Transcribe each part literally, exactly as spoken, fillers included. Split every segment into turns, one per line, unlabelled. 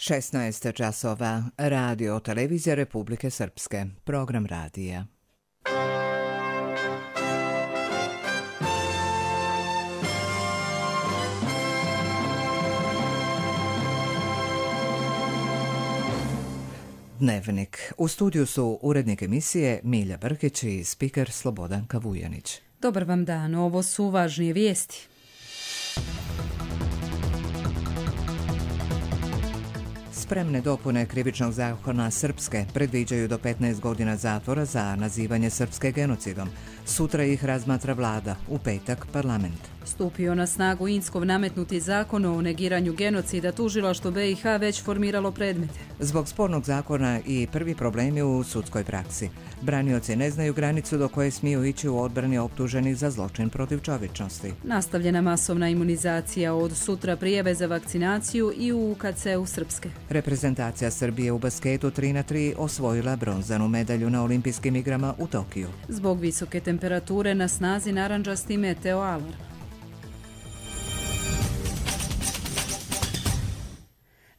šesnaest časova. Radio televizija Republike Srpske. Program radija. Dnevnik. U studiju su urednik emisije Milja Brkić i spiker Slobodanka Vujanić.
Dobar vam dan, ovo su važnije vijesti.
Spremne dopune krivičnog zakona Srpske predviđaju do petnaest godina zatvora za nazivanje Srpske genocidom. Sutra ih razmatra vlada, u petak parlament.
Stupio na snagu Inckov nametnuti zakon o negiranju genocida, tužilaštvo B i H već formiralo predmete.
Zbog spornog zakona i prvi problemi u sudskoj praksi. Branioci ne znaju granicu do koje smiju ići u odbrani optuženih za zločin protiv čovječnosti.
Nastavljena masovna imunizacija, od sutra prijave za vakcinaciju i u U K C-u Srpske.
Reprezentacija Srbije u basketu tri na tri osvojila bronzanu medalju na olimpijskim igrama u Tokiju.
Zbog visoke temperature na snazi narandžasti meteo alarm.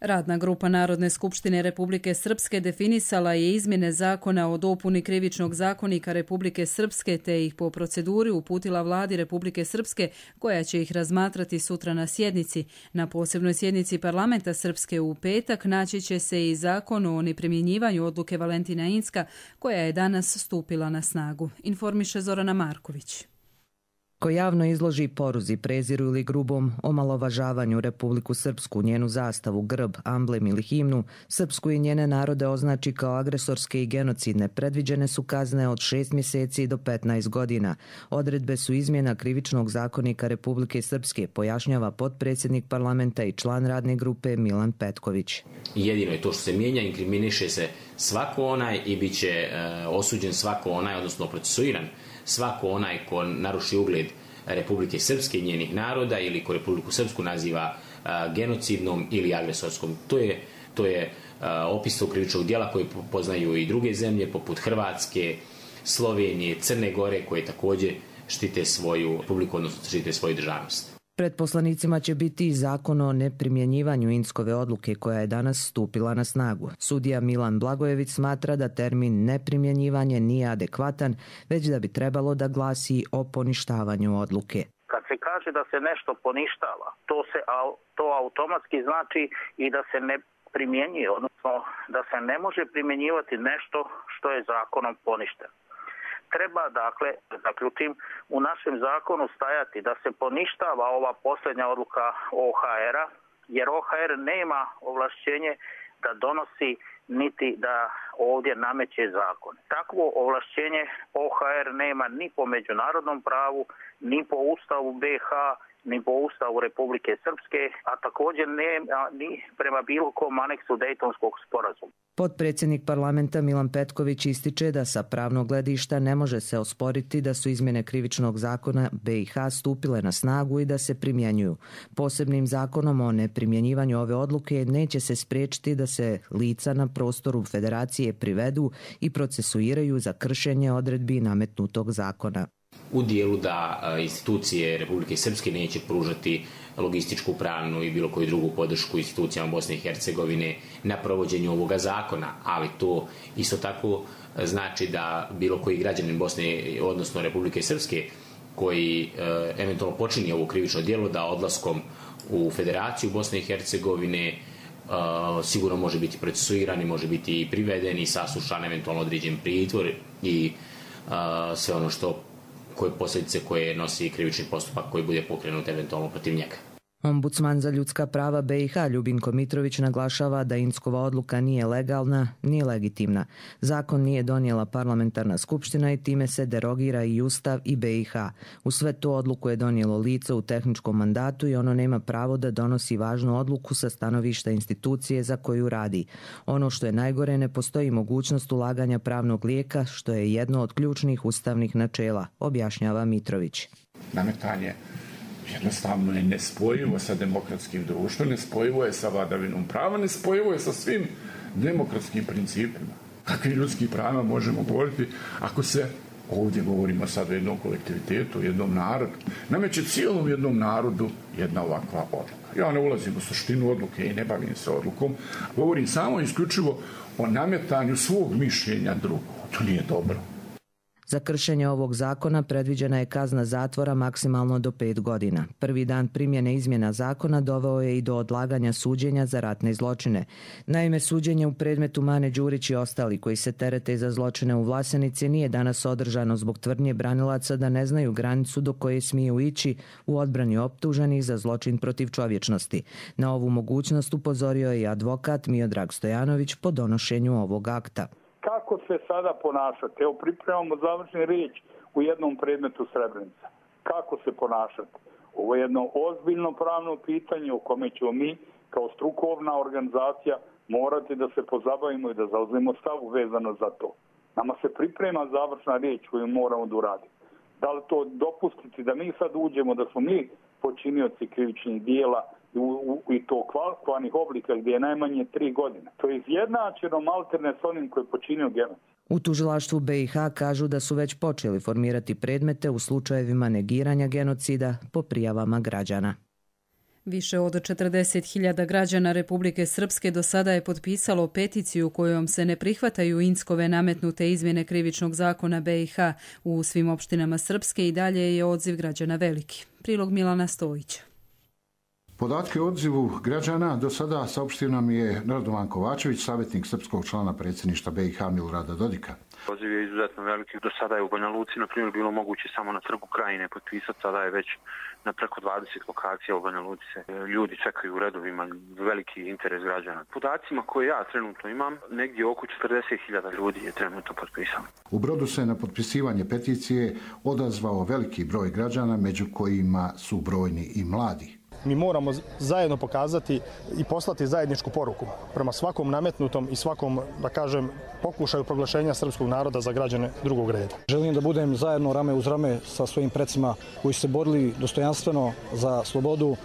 Radna grupa Narodne skupštine Republike Srpske definisala je izmjene zakona o dopuni krivičnog zakonika Republike Srpske te ih po proceduri uputila vladi Republike Srpske, koja će ih razmatrati sutra na sjednici. Na posebnoj sjednici parlamenta Srpske u petak naći će se i zakon o neprimjenjivanju odluke Valentina Incka, koja je danas stupila na snagu, informiše Zorana Marković.
Ko javno izloži poruzi, preziru ili grubom omalovažavanju Republiku Srpsku, njenu zastavu, grb, amblem ili himnu, Srpsku i njene narode označi kao agresorske i genocidne, predviđene su kazne od šest mjeseci do petnaest godina. Odredbe su izmjena krivičnog zakonika Republike Srpske, pojašnjava potpredsjednik parlamenta i član radne grupe Milan Petković.
Jedino je to što se mijenja, inkriminiše se svako onaj i bit će e, osuđen svako onaj, odnosno procesuiran svako onaj ko naruši ugled Republike Srpske i njenih naroda ili ko Republiku Srpsku naziva a, genocidnom ili agresorskom. To je, to je a, opis tog krivičnog djela koji poznaju i druge zemlje poput Hrvatske, Slovenije, Crne Gore, koje također štite svoju republiku, odnosno štite svoju državnost.
Pred poslanicima će biti i zakon o neprimjenjivanju Inckove odluke koja je danas stupila na snagu. Sudija Milan Blagojević smatra da termin neprimjenjivanje nije adekvatan, već da bi trebalo da glasi o poništavanju odluke.
Kad se kaže da se nešto poništava, to, se, to automatski znači i da se ne primjenjuje, odnosno da se ne može primjenjivati nešto što je zakonom poništeno. Treba, dakle, zaključim, u našem zakonu stajati da se poništava ova posljednja odluka O H R-a, jer O H R nema ovlašćenje da donosi niti da ovdje nameće zakon. Takvo ovlašćenje O H R nema ni po međunarodnom pravu, ni po Ustavu B i H, ni po Ustavu Republike Srpske, a također ne ni prema bilo kom aneksu Dejtonskog sporazuma.
Potpredsjednik parlamenta Milan Petković ističe da sa pravnog gledišta ne može se osporiti da su izmjene krivičnog zakona B i H stupile na snagu i da se primjenjuju. Posebnim zakonom o neprimjenjivanju ove odluke neće se spriječiti da se lica na prostoru federacije privedu i procesuiraju za kršenje odredbi nametnutog zakona.
U dijelu da institucije Republike Srpske neće pružati logističku, pravnu i bilo koju drugu podršku institucijama Bosne i Hercegovine na provođenju ovoga zakona, ali to isto tako znači da bilo koji građanin Bosne, odnosno Republike Srpske, koji e, eventualno počini ovo krivično djelo, da odlaskom u Federaciju Bosne i Hercegovine e, sigurno može biti procesuiran i može biti i priveden i saslušan, eventualno određen pritvor i e, sve ono što koje posljedice koje nosi krivični postupak koji bude pokrenut eventualno protiv njega.
Ombudsman za ljudska prava B i H Ljubinko Mitrović naglašava da Inckova odluka nije legalna ni legitimna. Zakon nije donijela parlamentarna skupština i time se derogira i Ustav i B i H. U sve to odluku je donijelo lice u tehničkom mandatu i ono nema pravo da donosi važnu odluku sa stanovišta institucije za koju radi. Ono što je najgore, ne postoji mogućnost ulaganja pravnog lijeka, što je jedno od ključnih ustavnih načela, objašnjava Mitrović.
Nametanje jednostavno je nespojivo sa demokratskim društvom, nespojivo je sa vladavinom prava, nespojivo je sa svim demokratskim principima. Kakvi ljudski prava možemo govoriti ako se ovdje govorimo sad o jednom kolektivitetu, jednom narodu, nameće cijelom jednom narodu jedna ovakva odluka. Ja ne ulazim u suštinu odluke i ne bavim se odlukom, govorim samo isključivo o nametanju svog mišljenja drugog. To nije dobro.
Za kršenje ovog zakona predviđena je kazna zatvora maksimalno do pet godina. Prvi dan primjene izmjena zakona doveo je i do odlaganja suđenja za ratne zločine. Naime, suđenje u predmetu Mane Đurić i ostali koji se terete za zločine u Vlasenici nije danas održano zbog tvrdnje branilaca da ne znaju granicu do koje smiju ići u odbrani optuženih za zločin protiv čovječnosti. Na ovu mogućnost upozorio je i advokat Miodrag Stojanović po donošenju ovog akta.
Kako se sada ponašati? Evo, pripremamo završni riječ u jednom predmetu Srebrenica. Kako se ponašati? Ovo je jedno ozbiljno pravno pitanje u kome ćemo mi kao strukovna organizacija morati da se pozabavimo i da zauzmemo stav vezano za to. Nama se priprema završna riječ koju moramo da uradimo. Da li to dopustiti da mi sad uđemo, da smo mi počinioci krivičnih dijela i to kvalifikovanih oblika gdje je najmanje tri godine. To je izjednačeno malterne s onim koji je počinio genocid.
U tužilaštvu B i H kažu da su već počeli formirati predmete u slučajevima negiranja genocida po prijavama građana.
Više od četrdeset hiljada građana Republike Srpske do sada je potpisalo peticiju kojom se ne prihvataju Inckove nametnute izmjene krivičnog zakona B i H. U svim opštinama Srpske i dalje je odziv građana veliki. Prilog Milana Stojića.
Podatke o odzivu građana do sada saopštio nam je Radovan Kovačević, savjetnik srpskog člana predsjedništva B i H Milorada Dodika.
Odziv je izuzetno veliki. Do sada je u Banja Luci, na primjer, bilo moguće samo na Trgu Krajine potpisati, sada je već na preko dvadeset lokacija u Banja Luci. Ljudi čekaju u redovima, veliki interes građana. Podacima koje ja trenutno imam, negdje oko četrdeset hiljada ljudi je trenutno potpisano.
U Brodu se na potpisivanje peticije odazvao veliki broj građana, među kojima su brojni i mladi.
Mi moramo zajedno pokazati i poslati zajedničku poruku prema svakom nametnutom i svakom, da kažem, pokušaju proglašenja srpskog naroda za građane drugog reda.
Želim da budem zajedno rame uz rame sa svojim precima koji su se borili dostojanstveno za slobodu,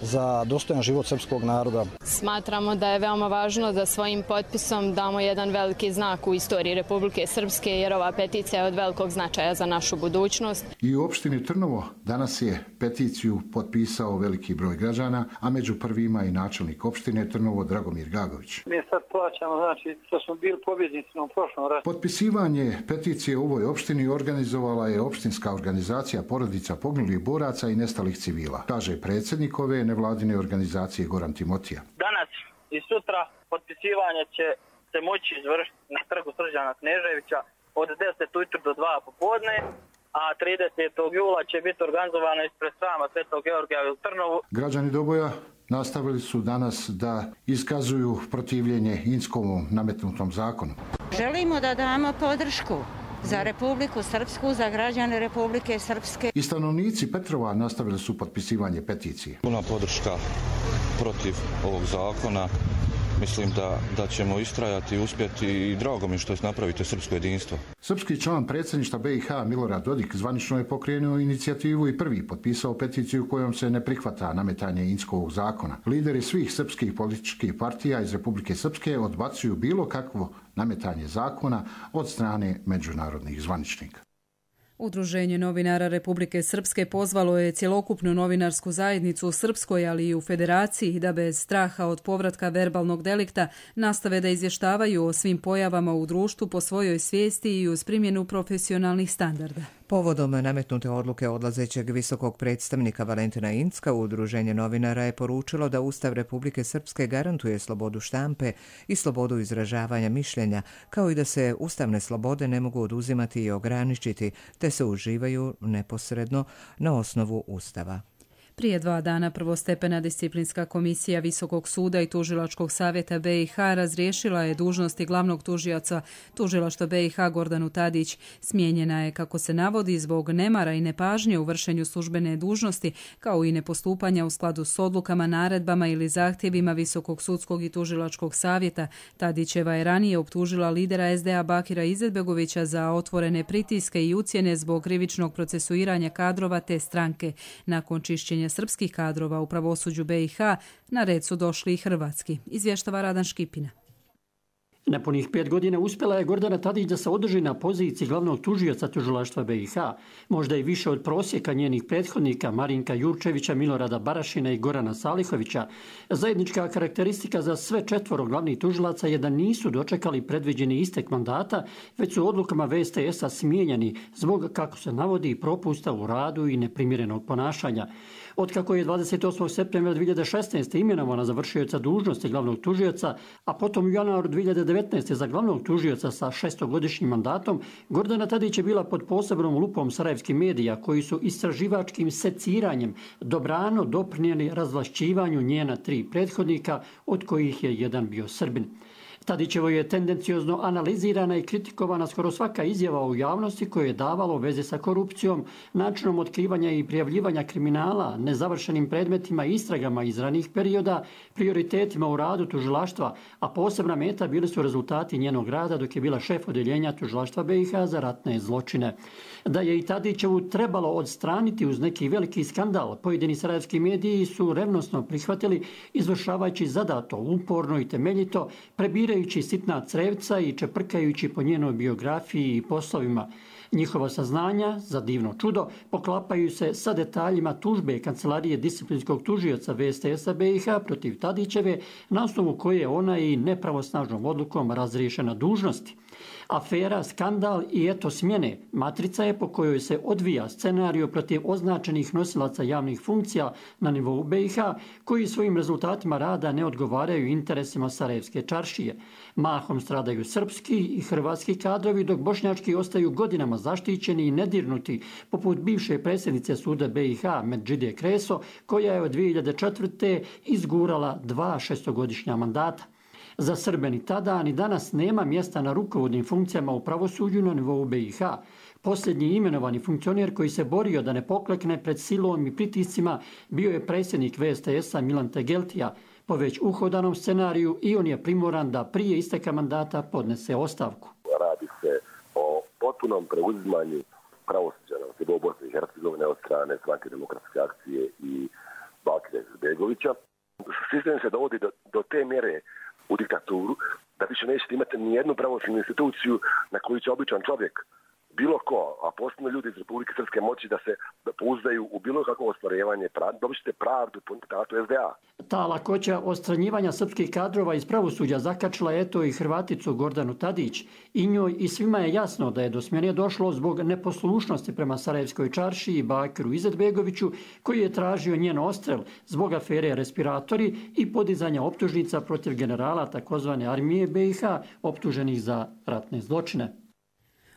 za dostojan život srpskog naroda.
Smatramo da je veoma važno da svojim potpisom damo jedan veliki znak u istoriji Republike Srpske, jer ova peticija je od velikog značaja za našu budućnost.
I u opštini Trnovo danas je peticiju potpisao veliki broj građana, a među prvima i načelnik opštine Trnovo Dragomir Gagović.
Mi sad plaćamo, znači, što smo bili pobjednici u prošlom ratu.
Potpisivanje peticije u ovoj opštini organizovala je opštinska organizacija porodica poginulih boraca i nestalih civila, kaže predsjednik ove nevladine organizacije Goran Timotija.
Danas i sutra potpisivanje će se moći izvršiti na trgu Srđana Kneževića od deset ujutro do dva popodne, a tridesetog jula će biti organizovano ispred srama Svetog Georgija u Trnovu.
Građani Doboja nastavili su danas da iskazuju protivljenje Inckovom nametnutom zakonu.
Želimo da damo podršku za Republiku Srpsku, za građane Republike Srpske.
I stanovnici Petrova nastavili su potpisivanje peticije.
Puna podrška protiv ovog zakona. Mislim da, da ćemo istrajati i uspjeti i drago mi što napravite srpsko jedinstvo.
Srpski član predsjedništva B i H Milorad Dodik zvanično je pokrenuo inicijativu i prvi potpisao peticiju kojom se ne prihvata nametanje Inckovog zakona. Lideri svih srpskih političkih partija iz Republike Srpske odbacuju bilo kakvo nametanje zakona od strane međunarodnih zvaničnika.
Udruženje novinara Republike Srpske pozvalo je cjelokupnu novinarsku zajednicu u Srpskoj, ali i u Federaciji, da bez straha od povratka verbalnog delikta nastave da izvještavaju o svim pojavama u društvu po svojoj svijesti i uz primjenu profesionalnih standarda.
Povodom nametnute odluke odlazećeg visokog predstavnika Valentina Incka, Udruženje novinara je poručilo da Ustav Republike Srpske garantuje slobodu štampe i slobodu izražavanja mišljenja, kao i da se ustavne slobode ne mogu oduzimati i ograničiti, te se uživaju neposredno na osnovu Ustava.
Prije dva dana prvostepena disciplinska komisija Visokog suda i Tužilačkog savjeta B i H razriješila je dužnosti glavnog tužioca Tužilaštva B i H Gordanu Tadić. Smijenjena je, kako se navodi, zbog nemara i nepažnje u vršenju službene dužnosti, kao i nepostupanja u skladu s odlukama, naredbama ili zahtjevima Visokog sudskog i Tužilačkog savjeta. Tadićeva je ranije optužila lidera S D A Bakira Izetbegovića za otvorene pritiske i ucjene zbog krivičnog procesuiranja kadrova te stranke. Nakon čišćenja srpskih kadrova u pravosuđu B i H na red su došli i hrvatski, izvještava Radan Škipina.
Nepunih pet godina uspjela je Gordana Tadić da se održi na poziciji glavnog tužioca tužilaštva B i H, možda i više od prosjeka njenih prethodnika Marinka Jurčevića, Milorada Barašina i Gorana Salihovića. Zajednička karakteristika za sve četvoro glavnih tužilaca je da nisu dočekali predviđeni istek mandata, već su odlukama V S T S-a smijenjeni zbog, kako se navodi, propusta u radu i neprimjerenog ponašanja. Otkako je dvadeset osmog septembra dvije hiljade šesnaeste. imenovana za vršioca dužnosti glavnog tužioca, a potom u januaru dvije hiljade devetnaeste. za glavnog tužioca sa šestogodišnjim mandatom, Gordana Tadić je bila pod posebnom lupom sarajevskih medija koji su istraživačkim seciranjem dobrano doprinijeli razvlašćivanju njena tri prethodnika, od kojih je jedan bio Srbin. Tadićevo je tendenciozno analizirana i kritikovana skoro svaka izjava u javnosti koje je davalo veze sa korupcijom, načinom otkrivanja i prijavljivanja kriminala, nezavršenim predmetima i istragama iz ranih perioda, prioritetima u radu tužilaštva, a posebna meta bili su rezultati njenog rada dok je bila šef odeljenja tužilaštva B i H za ratne zločine. Da je i Tadićevu trebalo odstraniti uz neki veliki skandal, pojedini sarajevski mediji su revnosno prihvatili, izvršavajući zadato, uporno i temeljito, prebirajući sitna crevca i čeprkajući po njenoj biografiji i poslovima. Njihova saznanja, za divno čudo, poklapaju se sa detaljima tužbe Kancelarije disciplinskog tužioca V S T S-a B i H protiv Tadićeve, na osnovu koje je ona i nepravosnažnom odlukom razriješena dužnosti. Afera, skandal i eto smjene matrica je po kojoj se odvija scenario protiv označenih nosilaca javnih funkcija na nivou B i H, koji svojim rezultatima rada ne odgovaraju interesima Sarajevske čaršije. Mahom stradaju srpski i hrvatski kadrovi, dok bošnjački ostaju godinama zaštićeni i nedirnuti, poput bivše predsjednice suda B i H Medžide Kreso, koja je od dvije hiljade četvrte. izgurala dva šestogodišnja mandata. Za Srbe ni tada ni danas nema mjesta na rukovodnim funkcijama u pravosuđu na nivou B i H. Posljednji imenovani funkcioner koji se borio da ne poklekne pred silom i pritiscima bio je predsjednik V S T S-a Milan Tegeltija. Po već uhodanom scenariju i on je primoran da prije isteka mandata podnese ostavku.
Radi se o potpunom preuzimanju pravosuđa na nivou Bosne i Hercegovine od strane Stranke demokratske akcije i Bakira Izetbegovića. Sistem se dovodi do, do te mjere u diktaturu, da više nećete imati ni jednu pravosudnu instituciju na koju će običan čovjek, bilo ko, a posebno ljudi iz Republike Srpske, moći da se da pouzdaju u bilo kakvo ostvarivanje, dobit ćete pravdu po diktatu S D A.
Ta lakoća odstranjivanja srpskih kadrova iz pravosuđa zakačila eto i Hrvaticu Gordanu Tadić. I njoj i svima je jasno da je do smjene došlo zbog neposlušnosti prema Sarajevskoj čaršiji i Bakiru Izetbegoviću, koji je tražio njen odstrel zbog afere respiratori i podizanja optužnica protiv generala takozvane armije B i H optuženih za ratne zločine.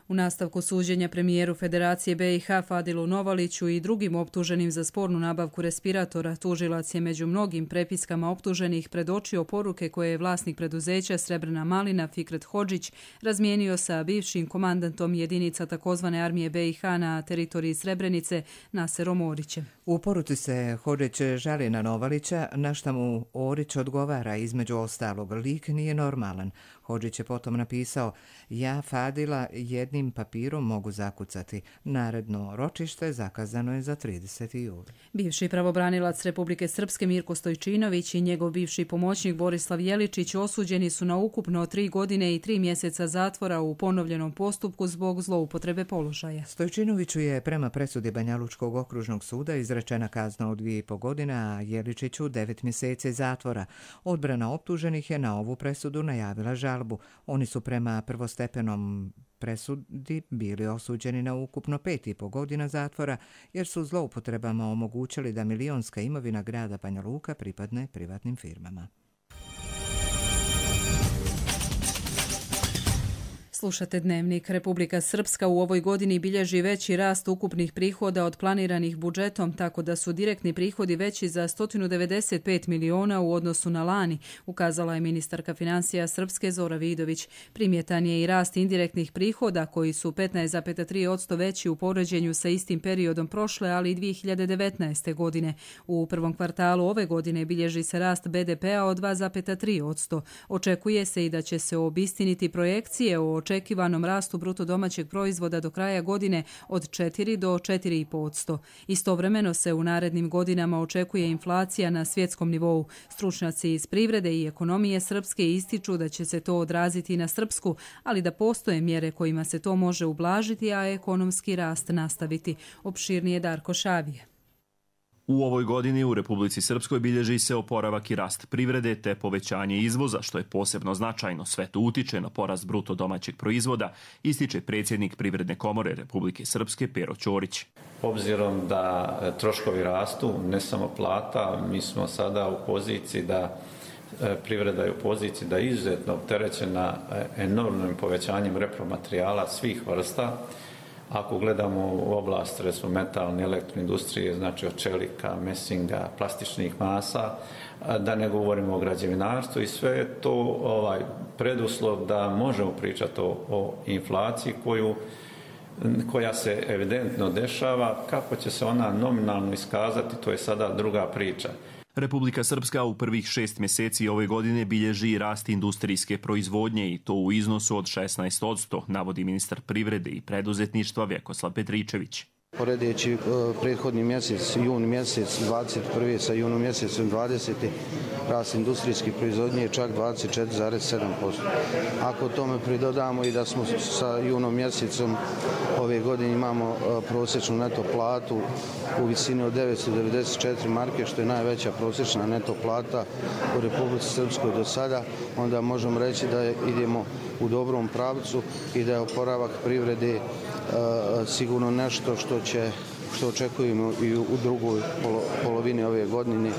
U nastavku suđenja premijeru Federacije B i H Fadilu Novaliću i drugim optuženim za spornu nabavku respiratora, tužilac je među mnogim prepiskama optuženih predočio poruke koje je vlasnik preduzeća Srebrna malina Fikret Hodžić razmijenio sa bivšim komandantom jedinica takozvane armije B i H na teritoriji Srebrenice Naserom Orićem.
U poruci se Hodžić žali na Novalića, na šta mu Orić odgovara, između ostalog, lik nije normalan. Hodžić je potom napisao: ja Fadila jednim papirom mogu zakucati. Naredno ročište zakazano je za trideseti juli.
Bivši pravobranilac Republike Srpske Mirko Stojčinović i njegov bivši pomoćnik Borislav Jeličić osuđeni su na ukupno tri godine i tri mjeseca zatvora u ponovljenom postupku zbog zloupotrebe položaja.
Stojčinoviću je prema presudi Banjalučkog okružnog suda izrečena kazna od dvije i po godine, a Jeličiću devet mjeseci zatvora. Odbrana optuženih je na ovu presudu najavila žalbu. Oni su prema prvostepenom presudi bili osuđeni na ukupno pet i po godina zatvora, jer su zloupotrebama omogućili da milionska imovina grada Banja Luka pripadne privatnim firmama.
Slušate Dnevnik. Republika Srpska u ovoj godini bilježi veći rast ukupnih prihoda od planiranih budžetom, tako da su direktni prihodi veći za sto devedeset pet miliona u odnosu na lani, ukazala je ministarka financija Srpske Zora Vidović. Primjetan je i rast indirektnih prihoda, koji su petnaest zarez tri posto veći u poređenju sa istim periodom prošle, ali i dvije hiljade devetnaeste. godine. U prvom kvartalu ove godine bilježi se rast B D P-a od dva zarez tri posto. Očekuje se i da će se obistiniti projekcije o očekivanju očekivanom rastu bruto domaćeg proizvoda do kraja godine od četiri do četiri i pol posto. Istovremeno se u narednim godinama očekuje inflacija na svjetskom nivou. Stručnjaci iz privrede i ekonomije srpske ističu da će se to odraziti na srpsku, ali da postoje mjere kojima se to može ublažiti, a ekonomski rast nastaviti. Opširnije Darko Šavije.
U ovoj godini u Republici Srpskoj bilježi se oporavak i rast privrede te povećanje izvoza, što je posebno značajno. Sve to utiče na porast bruto domaćeg proizvoda, ističe predsjednik Privredne komore Republike Srpske Pero Ćorić.
Obzirom da troškovi rastu, ne samo plata, mi smo sada u poziciji da privreda je u poziciji da je izuzetno opterećena enormnim povećanjem repromaterijala svih vrsta. Ako gledamo u oblast recimo metalne elektroindustrije, znači od čelika, mesinga, plastičnih masa, da ne govorimo o građevinarstvu i sve je to ovaj, preduslov da možemo pričati o, o inflaciji koju, koja se evidentno dešava. Kako će se ona nominalno iskazati, to je sada druga priča.
Republika Srpska u prvih šest mjeseci ove godine bilježi rast industrijske proizvodnje i to u iznosu od šesnaest posto, navodi ministar privrede i preduzetništva Vjekoslav Petričević.
Poredeći prethodni mjesec, jun mjesec dvadeset prvi sa junom mjesecom dvadeseti rast industrijske proizvodnje je čak dvadeset četiri zarez sedam posto. Ako tome pridodamo i da smo sa junom mjesecom ove godine imamo prosječnu neto platu u visini od devetsto devedeset četiri marke, što je najveća prosječna neto plata u Republici Srpskoj do sada, onda možemo reći da idemo u dobrom pravcu i da je oporavak privrede sigurno nešto što će, što očekujemo i u drugoj polovini ove godine.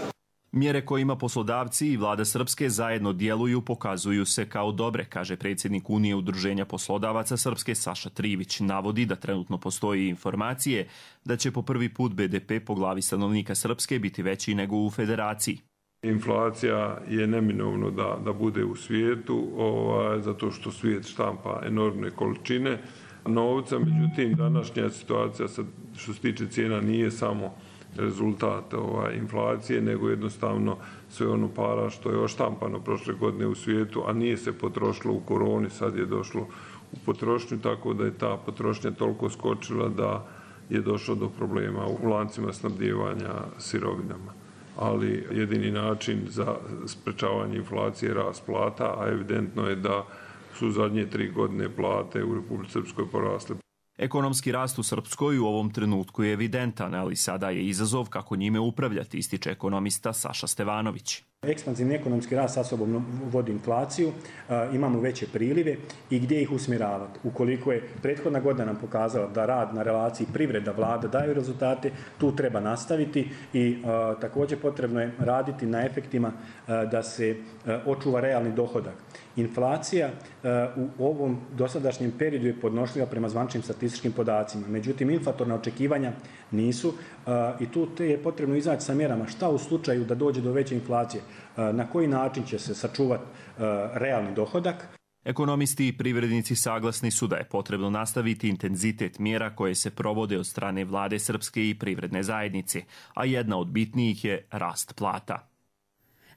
Mjere kojima poslodavci i vlada Srpske zajedno djeluju pokazuju se kao dobre, kaže predsjednik Unije udruženja poslodavaca Srpske Saša Trivić. Navodi da trenutno postoji informacije da će po prvi put be de pe po glavi stanovnika Srpske biti veći nego u federaciji.
Inflacija je neminovno da, da bude u svijetu, ovaj, zato što svijet štampa enormne količine novca, međutim današnja situacija što se tiče cijena nije samo rezultat ovaj, inflacije, nego jednostavno sve ono para što je oštampano prošle godine u svijetu, a nije se potrošilo u koroni, sad je došlo u potrošnju, tako da je ta potrošnja toliko skočila da je došlo do problema u lancima snabdijevanja sirovinama. Ali jedini način za sprečavanje inflacije je rast plata, a evidentno je da su zadnje tri godine plate u Republici Srpskoj porasle.
Ekonomski rast u Srpskoj u ovom trenutku je evidentan, ali sada je izazov kako njime upravljati, ističe ekonomista Saša Stevanović.
Ekspanzivni ekonomski rast sa sobom vodi inflaciju, imamo veće prilive i gdje ih usmjeravati. Ukoliko je prethodna godina nam pokazala da rad na relaciji privreda, vlada daju rezultate, tu treba nastaviti i a, također potrebno je raditi na efektima a, da se a, očuva realni dohodak. Inflacija a, u ovom dosadašnjem periodu je podnošljiva prema zvaničnim statističkim podacima. Međutim, inflatorna očekivanja nisu a, i tu je potrebno izaći sa mjerama šta u slučaju da dođe do veće inflacije, a, na koji način će se sačuvati a, realni dohodak.
Ekonomisti i privrednici saglasni su da je potrebno nastaviti intenzitet mjera koje se provode od strane vlade Srpske i privredne zajednice, a jedna od bitnijih je rast plata.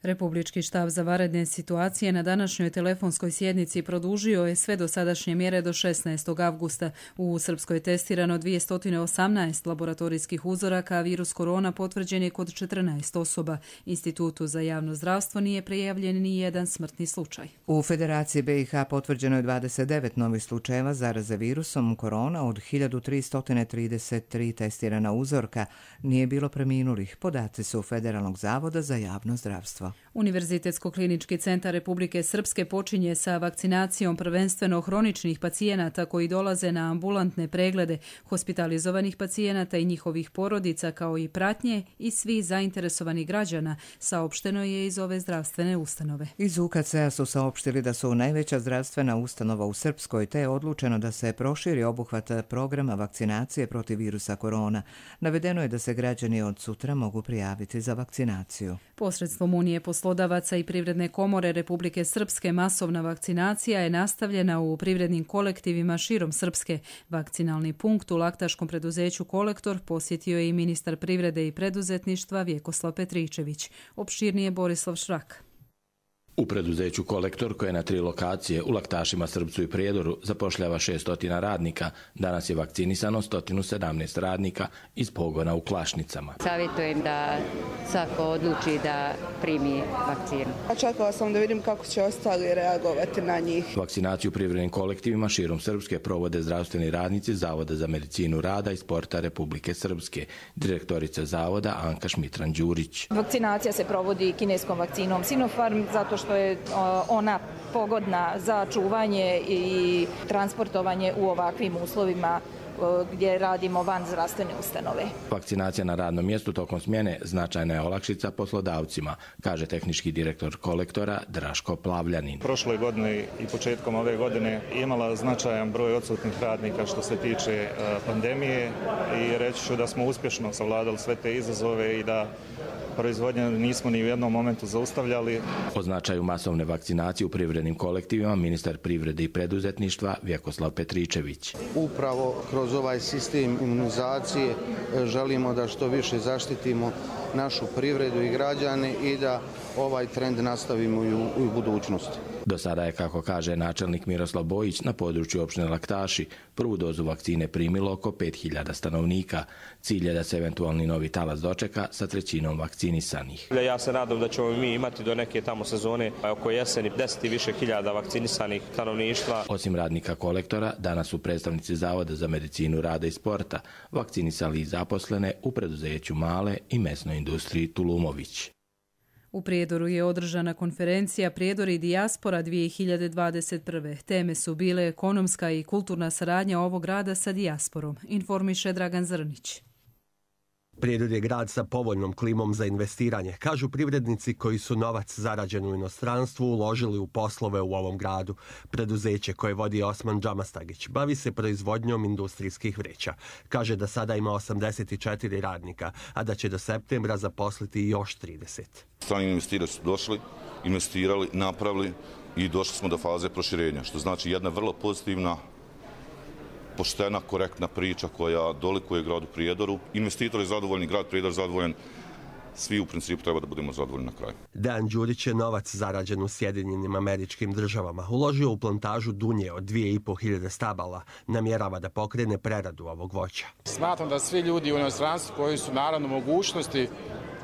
Republički štab za vanredne situacije na današnjoj telefonskoj sjednici produžio je sve dosadašnje mjere do šesnaestog avgusta. U Srpskoj je testirano dvjesto osamnaest laboratorijskih uzoraka, a virus korona potvrđen je kod četrnaest osoba. Institutu za javno zdravstvo nije prijavljen ni jedan smrtni slučaj.
U Federaciji be i ha potvrđeno je dvadeset devet novih slučajeva zaraze virusom korona od hiljadu tristo trideset tri testirana uzorka. Nije bilo preminulih. Podaci su Federalnog zavoda za javno zdravstvo.
Univerzitetsko-klinički centar Republike Srpske počinje sa vakcinacijom prvenstveno hroničnih pacijenata koji dolaze na ambulantne preglede, hospitalizovanih pacijenata i njihovih porodica, kao i pratnje i svih zainteresovanih građana, saopšteno je iz ove zdravstvene ustanove.
Iz u ka ce a su saopštili da su najveća zdravstvena ustanova u Srpskoj, te je odlučeno da se proširi obuhvat programa vakcinacije protiv virusa korona. Navedeno je da se građani od sutra mogu prijaviti za vakcinaciju.
Posredstvom Unije poslodavaca i Privredne komore Republike Srpske masovna vakcinacija je nastavljena u privrednim kolektivima širom Srpske. Vakcinalni punkt u laktaškom preduzeću Kolektor posjetio je i ministar privrede i preduzetništva Vjekoslav Petričević. Opširnije Borislav Šrak.
U preduzeću Kolektor, koje je na tri lokacije u Laktašima, Srpcu i Prijedoru zapošljava šesnaest radnika, danas je vakcinisano sto sedamnaest radnika iz pogona u Klašnicama.
Savjetujem da svako odluči da primi vakcinu.
Čekala sam da vidim kako će ostali reagovati na njih.
Vakcinaciju u privrednim kolektivima širom Srpske provode zdravstveni radnici Zavoda za medicinu rada i sporta Republike Srpske, direktorica Zavoda Anka Šmitran-Đurić.
Vakcinacija se provodi kineskom vakcinom Sinopharm zato što je ona pogodna za čuvanje i transportovanje u ovakvim uslovima gdje radimo van zdravstvene ustanove.
Vakcinacija na radnom mjestu tokom smjene značajna je olakšica poslodavcima, kaže tehnički direktor Kolektora Draško Plavljanin.
Prošle godine i početkom ove godine imala značajan broj odsutnih radnika što se tiče pandemije i reći ću da smo uspješno savladali sve te izazove i da proizvodnje nismo ni u jednom momentu zaustavljali.
O značaju masovne vakcinacije u privrednim kolektivima ministar privrede i preduzetništva Vjekoslav Petričević.
Upravo kroz ovaj sistem imunizacije želimo da što više zaštitimo našu privredu i građane i da ovaj trend nastavimo i u, u budućnosti.
Do sada je, kako kaže načelnik Miroslav Bojić, na području opštine Laktaši prvu dozu vakcine primilo oko pet hiljada stanovnika. Cilj je da se eventualni novi talas dočeka sa trećinom vakcinisanih.
Ja se nadam da ćemo mi imati do neke tamo sezone oko jeseni deset i više hiljada vakcinisanih stanovništva.
Osim radnika Kolektora, danas su predstavnici Zavoda za medicinu rada i sporta vakcinisali i zaposlene u preduzeću Male i mesnoj industriji Tulumović.
U Prijedoru je održana konferencija Prijedor i dijaspora dvije hiljade dvadeset prve. Teme su bile ekonomska i kulturna saradnja ovog grada sa dijasporom, informiše Dragan Zrnić.
Prijedor je grad sa povoljnom klimom za investiranje, kažu privrednici koji su novac zarađen u inostranstvu uložili u poslove u ovom gradu. Preduzeće koje vodi Osman Džamastagić bavi se proizvodnjom industrijskih vreća. Kaže da sada ima osamdeset četiri radnika, a da će do septembra zaposliti još trideset.
Strani investitori su došli, investirali, napravili i došli smo do faze proširenja, što znači jedna vrlo pozitivna, poštena, korektna priča koja dolikuje gradu Prijedoru. Investitor je zadovoljni, grad Prijedor zadovoljan, svi u principu treba da budemo zadovoljni na kraju.
Dejan Đurić je novac zarađen u Sjedinjenim Američkim Državama uložio u plantažu dunje od dvije i po hiljade stabala. Namjerava da pokrene preradu ovog voća.
Smatram da svi ljudi u inostranstvu koji su naravno mogućnosti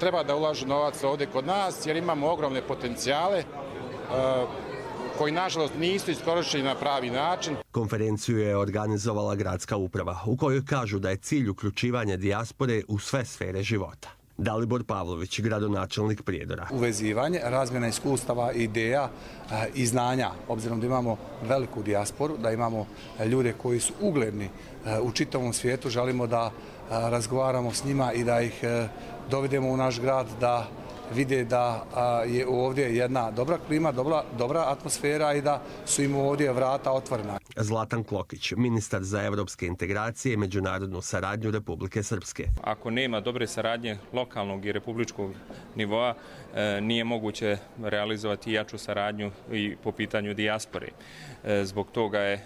treba da ulažu novac ovdje kod nas jer imamo ogromne potencijale koji nažalost nisu iskorišteni na pravi način.
Konferenciju je organizovala gradska uprava u kojoj kažu da je cilj uključivanja dijaspore u sve sfere života. Dalibor Pavlović, gradonačelnik Prijedora.
Uvezivanje, razmjena iskustava, ideja i znanja, obzirom da imamo veliku dijasporu, da imamo ljude koji su ugledni u čitavom svijetu, želimo da razgovaramo s njima i da ih dovedemo u naš grad, da vide da je ovdje jedna dobra klima, dobra, dobra atmosfera i da su im ovdje vrata otvorena.
Zlatan Klokić, ministar za evropske integracije i međunarodnu saradnju Republike Srpske.
Ako nema dobre saradnje lokalnog i republičkog nivoa, nije moguće realizovati jaču saradnju i po pitanju dijaspore. Zbog toga je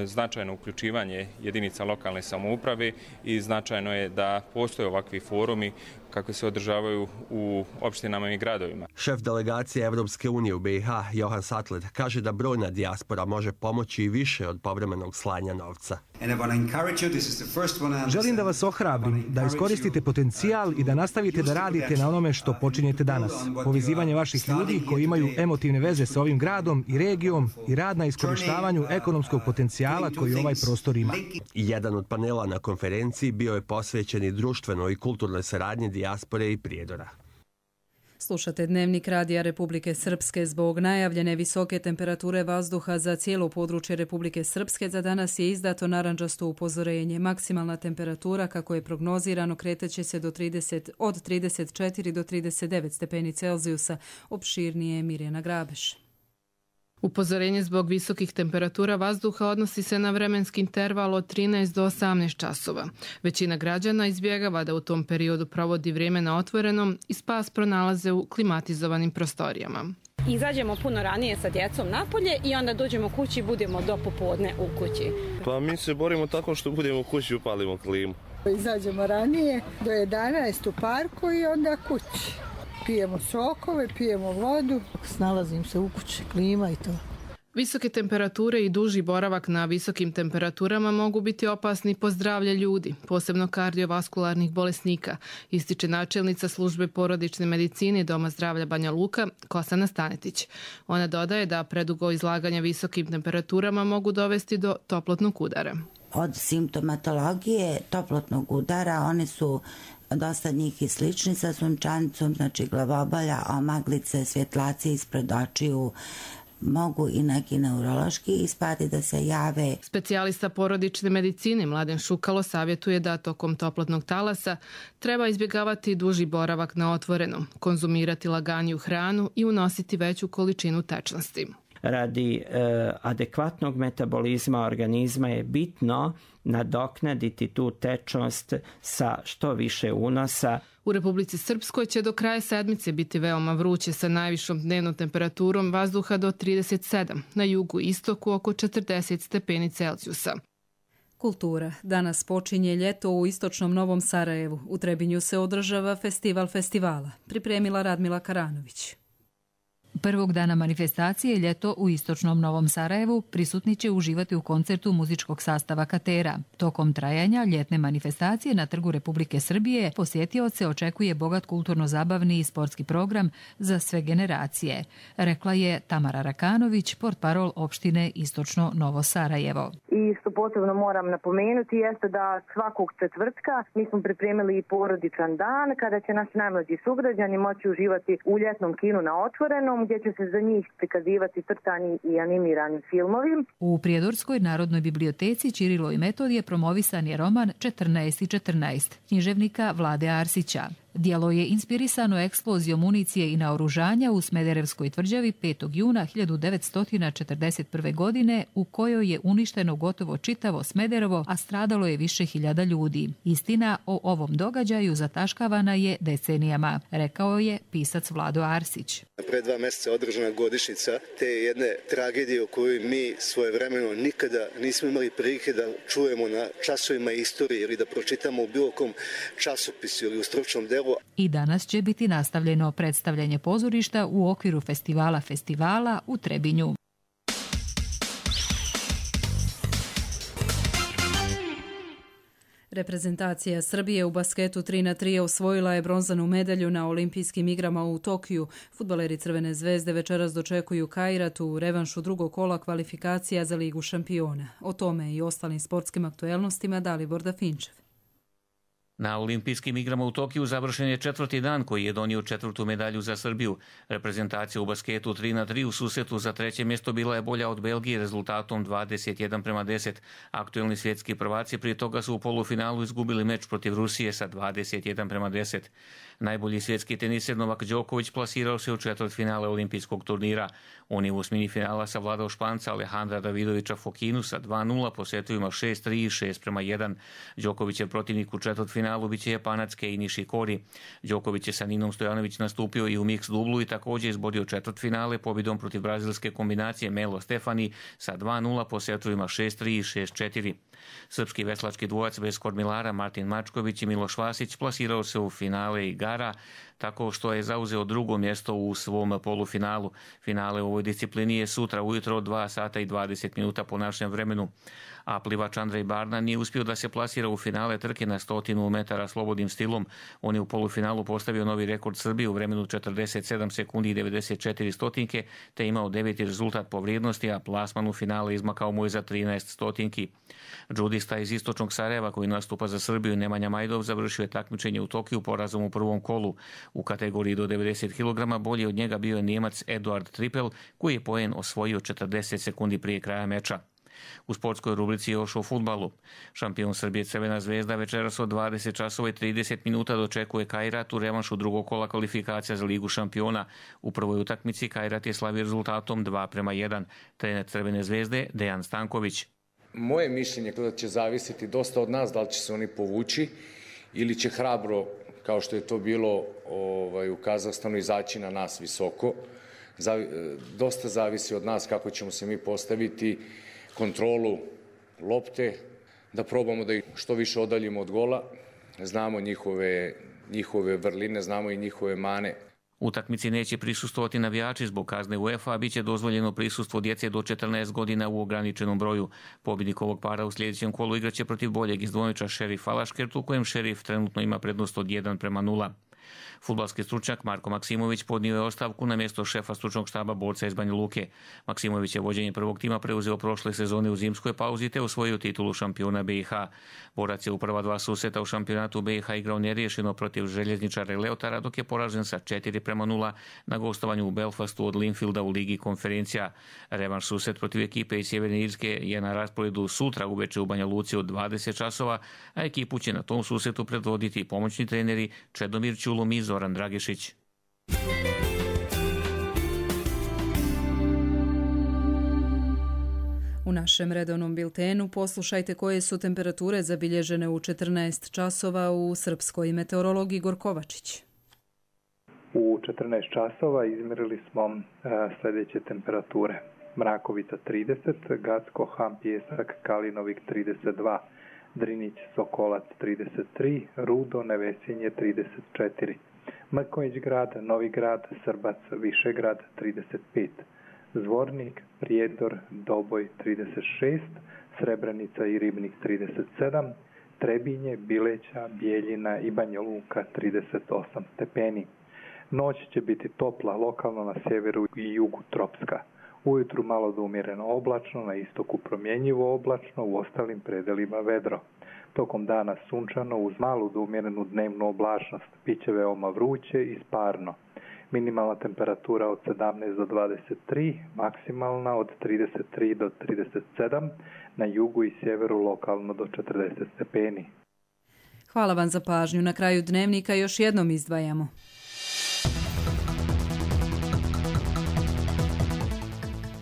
značajno uključivanje jedinica lokalne samouprave i značajno je da postoje ovakvi forumi kako se održavaju u opštinama i gradovima.
Šef delegacije Evropske unije u B i H, Johan Satlet, kaže da brojna dijaspora može pomoći i više od povremenog slanja novca.
Želim da vas ohrabrim, da iskoristite potencijal i da nastavite da radite na onome što počinjete danas. Povezivanje vaših ljudi koji imaju emotivne veze sa ovim gradom i regijom i rad na iskorištavanju ekonomskog potencijala koji ovaj prostor ima.
Jedan od panela na konferenciji bio je posvećen i društvenoj i kulturnoj saradnji dijaspore i Prijedora.
Slušate Dnevnik Radija Republike Srpske. Zbog najavljene visoke temperature vazduha za cijelo područje Republike Srpske za danas je izdato narandžasto upozorenje. Maksimalna temperatura, kako je prognozirano, kreteće se do trideset, od trideset četiri do trideset devet stepeni Celzijusa. Opširnije je Mirjana Grabeš.
Upozorenje zbog visokih temperatura vazduha odnosi se na vremenski interval od trinaest do osamnaest časova. Većina građana izbjegava da u tom periodu provodi vrijeme na otvorenom i spas pronalaze u klimatizovanim prostorijama.
Izađemo puno ranije sa djecom napolje i onda dođemo kući i budemo do popodne u kući.
Pa mi se borimo tako što budemo u kući i upalimo klimu.
Izađemo ranije do jedanaest u parku i onda kući.
pijemo sokove, pijemo vodu. Snalazim se u kući, klima i to.
Visoke temperature i duži boravak na visokim temperaturama mogu biti opasni po zdravlje ljudi, posebno kardiovaskularnih bolesnika, ističe načelnica službe porodične medicine Doma zdravlja Banja Luka, Kosana Stanetić. Ona dodaje da predugo izlaganja visokim temperaturama mogu dovesti do toplotnog udara.
Od simptomatologije toplotnog udara one su dosta njih i slični sa sunčanicom, znači glavobolja, omaglice, svjetlaci ispred očiju, mogu i neki neurološki ispadi da se jave.
Specijalista porodične medicine Mladen Šukalo savjetuje da tokom toplotnog talasa treba izbjegavati duži boravak na otvorenom, konzumirati laganiju hranu i unositi veću količinu tečnosti.
Radi e, adekvatnog metabolizma organizma je bitno nadoknaditi tu tečnost sa što više unosa.
U Republici Srpskoj će do kraja sedmice biti veoma vruće sa najvišom dnevnom temperaturom vazduha do trideset sedam, na jugu i istoku oko četrdeset stepeni Celzijusa.
Kultura. Danas počinje ljeto u istočnom Novom Sarajevu. U Trebinju se održava festival festivala. Pripremila Radmila Karanović.
Prvog dana manifestacije Ljeto u istočnom Novom Sarajevu prisutni će uživati u koncertu muzičkog sastava Katera. Tokom trajanja ljetne manifestacije na Trgu Republike Srbije posjetioce očekuje bogat kulturno-zabavni i sportski program za sve generacije, rekla je Tamara Rakanović, portparol opštine Istočno Novo Sarajevo.
I što posebno moram napomenuti jeste da svakog četvrtka mi smo pripremili i porodičan dan kada će naši najmlađi sugrađani moći uživati u ljetnom kinu na otvorenom, gdje će se za njih prikazivati crtani i animirani filmovi.
U Prijedorskoj Narodnoj biblioteci Ćirilo i Metodije promovisan je roman četrnaest i četrnaest književnika Vlade Arsića. Djelo je inspirisano eksplozijom municije i naoružanja u Smederevskoj tvrđavi petog juna hiljadu devetsto četrdeset prve. godine u kojoj je uništeno gotovo čitavo Smederevo, a stradalo je više hiljada ljudi. Istina o ovom događaju zataškavana je decenijama, rekao je pisac Vlado Arsić.
Pre dva mjeseca održana godišnjica te jedne tragedije o kojoj mi svojevremeno nikada nismo imali prilike da čujemo na časovima istorije ili da pročitamo u bilo kom časopisu ili u stručnom delu.
I danas će biti nastavljeno predstavljanje pozorišta u okviru festivala festivala u Trebinju.
Reprezentacija Srbije u basketu tri na tri osvojila je bronzanu medalju na olimpijskim igrama u Tokiju. Fudbaleri Crvene zvezde večeras dočekuju Kairat u revanšu drugog kola kvalifikacija za Ligu šampiona. O tome i ostalim sportskim aktuelnostima Dalibor Dafinčev.
Na olimpijskim igrama u Tokiju završen je četvrti dan koji je donio četvrtu medalju za Srbiju. Reprezentacija u basketu tri na tri u susretu za treće mjesto bila je bolja od Belgije rezultatom dvadeset jedan prema deset. Aktuelni svjetski prvaci prije toga su u polufinalu izgubili meč protiv Rusije sa dvadeset jedan prema deset. Najbolji svjetski teniser Novak Đoković plasirao se u četvrtfinale olimpijskog turnira. On je u osmini finala savladao Španca Alejandra Davidovića Fokinu sa dva nula po setovima šest tri i šest prema jedan. Đokovićev protivnik u četvrtfinalu biće Japanac Kei Nishikori. Đoković je sa Ninom Stojanović nastupio i u mix dublu i također izborio četvrtfinale pobjedom protiv brazilske kombinacije Melo Stefani sa dva nula po setovima šest tri i šest četiri. Srpski veslački dvojac bez kormilara Martin Mačković i Miloš Vasić plasirao se u finale igara tako što je zauzeo drugo mjesto u svom polufinalu. Finale u ovoj disciplini je sutra ujutro od dva sata i dvadeset minuta po našem vremenu. A plivač Andrej Barna nije uspio da se plasira u finale trke na stotinu metara slobodnim stilom. On je u polufinalu postavio novi rekord Srbije u vremenu četrdeset sedam sekundi i devedeset četiri stotinke, te imao deveti rezultat po vrijednosti, a plasman u finale izmakao mu je za trinaest stotinki. Džudista iz istočnog Sarajeva koji nastupa za Srbiju Nemanja Majdov završio je takmičenje u Tokiju porazom u prvom kolu. U kategoriji do devedeset kilograma bolji od njega bio je Nijemac Eduard Tripel koji je poen osvojio četrdeset sekundi prije kraja meča. U sportskoj rubrici još o fudbalu. Šampion Srbije Crvena zvezda večeras od dvadeset časova i trideset minuta dočekuje Kairat u revanšu drugog kola kvalifikacija za Ligu šampiona. U prvoj utakmici Kairat je slavio rezultatom dva prema jedan. Trener Crvene zvezde Dejan Stanković.
Moje mišljenje je da će zavisiti dosta od nas da li će se oni povući ili će hrabro, kao što je to bilo ovaj, u Kazahstanu, izaći na nas visoko. Zavi, dosta zavisi od nas kako ćemo se mi postaviti, kontrolu lopte, da probamo da ih što više odaljimo od gola. Znamo njihove, njihove vrline, znamo i njihove mane.
Utakmici neće prisustvovati navijači zbog kazne UEFA, a bit će dozvoljeno prisustvo djece do četrnaest godina u ograničenom broju. Pobjednik ovog para u sljedećem kolu igraće protiv boljeg iz dvojča Šerif Alaškert, u kojem Šerif trenutno ima prednost od jedan prema nula. Fudbalski stručnjak Marko Maksimović podnio je ostavku na mjesto šefa stručnog štaba borca iz Banja Luke. Maksimović je vođenje prvog tima preuzeo prošle sezone u zimskoj pauzi te osvojio titulu šampiona B i H. Borac je u prva dva susreta u šampionatu B i H igrao neriješeno protiv željezničara Leotara, dok je poražen sa četiri prema nula na gostovanju u Belfastu od Linfielda u Ligi konferencija. Revanš susret protiv ekipe iz Sjeverne Irske je na rasporedu sutra uveče u Banja Luci od dvadeset časova, a ekipu će na tom susretu predvoditi pomoćni treneri Čedomir Ćulom i Zoran Dragišić.
U našem redovnom biltenu poslušajte koje su temperature zabilježene u četrnaest časova u srpskoj meteorologiji. Gorkovačić.
U četrnaest časova izmjerili smo e, sljedeće temperature. Mrakovica trideset, Gacko, Ham, Pjesak, Kalinovik trideset dva, Drinić, Sokolac trideset tri, Rudo, Nevesinje trideset četiri, Mrkonjić grad, Novi grad, Srbac, Višegrad trideset pet, Zvornik, Prijedor, Doboj trideset šest, Srebrenica i Ribnik trideset sedam, Trebinje, Bileća, Bijeljina i Banja Luka trideset osam stepeni. Noć će biti topla, lokalno na sjeveru i jugu tropska. Ujutru malo do umjereno oblačno, na istoku promjenjivo oblačno, u ostalim predelima vedro. Tokom dana sunčano uz malu do umjerenu dnevnu oblačnost, biće veoma vruće i sparno. Minimalna temperatura od sedamnaest do dvadeset tri, maksimalna od trideset tri do trideset sedam, na jugu i sjeveru lokalno do četrdeset stepeni.
Hvala vam za pažnju. Na kraju dnevnika još jednom izdvajamo.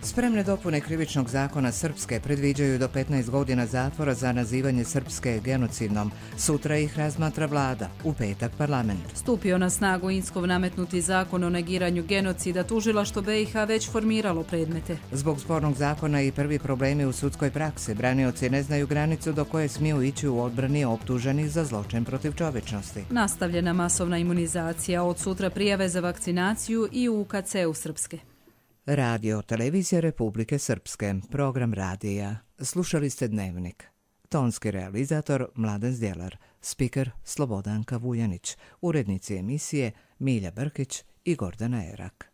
Spremne dopune krivičnog zakona Srpske predviđaju do petnaest godina zatvora za nazivanje Srpske genocidnom. Sutra ih razmatra vlada, u petak parlament.
Stupio na snagu Inskov nametnuti zakon o negiranju genocida, tužilaštvo B i H već formiralo predmete.
Zbog spornog zakona i prvi problemi u sudskoj praksi, branioci ne znaju granicu do koje smiju ići u odbrani optuženih za zločin protiv čovječnosti.
Nastavljena masovna imunizacija, od sutra prijave za vakcinaciju i u U K C-u Srpske.
Radio Televizija Republike Srpske, program radija. Slušali ste Dnevnik. Tonski realizator Mladen Zdjelar, spiker Slobodanka Vujanić, urednici emisije Milja Brkić i Gordana Erak.